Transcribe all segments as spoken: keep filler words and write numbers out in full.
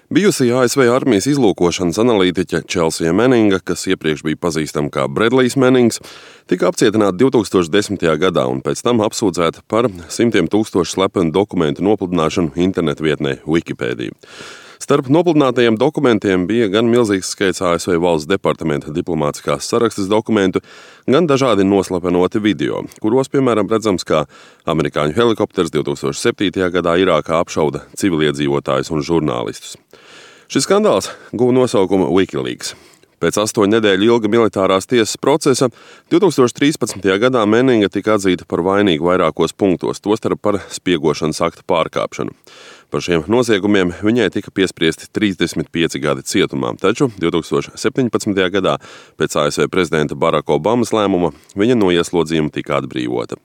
Bijusī A S V armijas izlūkošanas analītiķe Chelsea Manninga, kas iepriekš bija pazīstama kā Bredlijs Mannings, tika apcietināta divi tūkstoši desmitajā gadā un pēc tam apsūdzēta par simtiem tūkstošu slepenu dokumentu nopludināšanu internetu vietnē Wikipēdija. Starp nopludinātajiem dokumentiem bija gan milzīgs skaits A S V valsts departamenta diplomātiskās sarakstes dokumentu, gan dažādi noslapenoti video, kuros, piemēram, redzams, kā amerikāņu helikopters divi tūkstoši septītajā gadā Irākā apšauda civiliedzīvotājus un žurnālistus. Šis skandāls guva nosaukumu WikiLeaks. Pēc astoņu nedēļu ilga militārās tiesas procesa divi tūkstoši trīspadsmitajā gadā Manninga tika atzīta par vainīgu vairākos punktos, tostarp par spiegošanas akta pārkāpšanu. Par šiem noziegumiem viņai tika piespriesti trīsdesmit pieci gadi cietumā, taču divi tūkstoši septiņpadsmitajā gadā pēc A S V prezidenta Baraka Obamas lēmuma viņa no ieslodzījuma tika atbrīvota.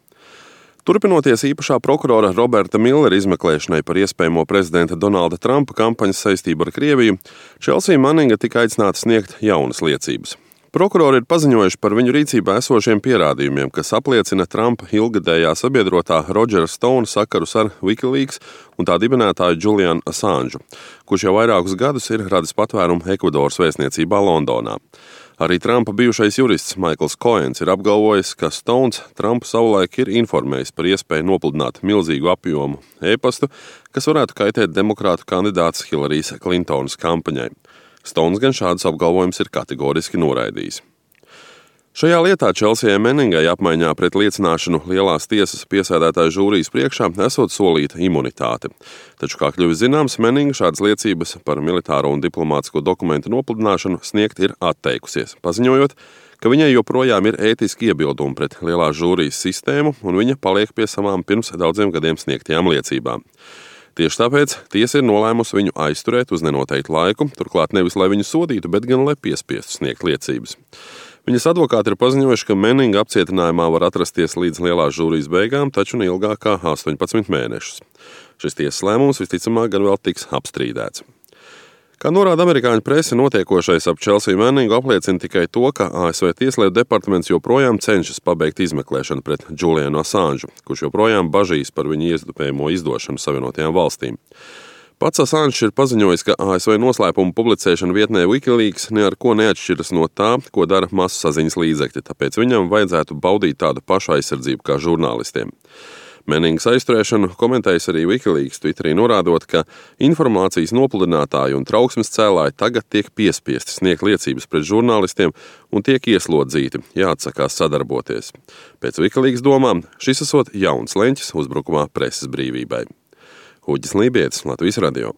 Turpinoties īpašā prokurora Roberta Millera izmeklēšanai par iespējamo prezidenta Donalda Trumpa kampaņas saistību ar Krieviju, Chelsea Manninga tika aicināta sniegt jaunas liecības. Prokurori ir paziņojuši par viņu rīcībā esošiem pierādījumiem, kas apliecina Trumpa ilgadējā sabiedrotā Rodžera Stona sakarus ar WikiLeaks un tā dibinātāju Julianu Assangeu, kurš jau vairākus gadus ir radis patvērumu Ekvadoras vēstniecībā Londonā. Arī Trumpa bijušais jurists Maikls Koens ir apgalvojis, ka Stones Trumpu savulaik ir informējis par iespēju nopludināt milzīgu apjomu e-pastu, kas varētu kaitēt demokrātu kandidātes Hillarijas Klintonas kampaņai. Stones gan šādus apgalvojumus ir kategoriski noraidījis. Šajā lietā Chelsea Manningai apmaiņā pret liecināšanu lielās tiesas piesēdētāju žūrijas priekšā esot solīta imunitāte. Taču, kā kļuvis zināms, Manninga šādas liecības par militāro un diplomātisko dokumentu nopludināšanu sniegt ir atteikusies, paziņojot, ka viņai joprojām ir ētiski iebildumi pret lielās žūrijas sistēmu un viņa paliek pie savām pirms daudziem gadiem sniegtajām liecībām. Tieši tāpēc tiesa ir nolēmusi viņu aizturēt uz nenoteiktu laiku, turklāt nevis lai viņu sodītu, bet gan lai piespiestu sniegt liecības. Viņas advokāti ir paziņojuši, ka Manninga apcietinājumā var atrasties līdz lielās žūrijas beigām, taču ne ilgāk kā astoņpadsmit mēnešus. Šis tiesas lēmums visticamāk gan vēl tiks apstrīdēts. Kā norāda amerikāņu prese, notiekošais ap Chelsea Manningu apliecina tikai to, ka A S V tieslietu departaments joprojām cenšas pabeigt izmeklēšanu pret Julianu Assangeu, kurš joprojām bažīs par viņu iespējamo izdošanu Savienotajām valstīm. Pats Assange ir paziņojis, ka A S V noslēpumu publicēšana vietnē WikiLeaks ne ar ko neatšķiras no tā, ko dara masu saziņas līdzekļi, tāpēc viņam vajadzētu baudīt tādu pašu aizsardzību kā žurnālistiem. Manningas aizturēšanu komentējis arī WikiLeaks Twitterī, norādot, ka informācijas nopludinātāji un trauksmes cēlāji tagad tiek piespiesti sniegt liecības pret žurnālistiem un tiek ieslodzīti, jāatsakās sadarboties. Pēc WikiLeaks domām šis esot jauns leņķis uzbrukumā preses brīvībai. Uģis Lībietis, Latvijas radio.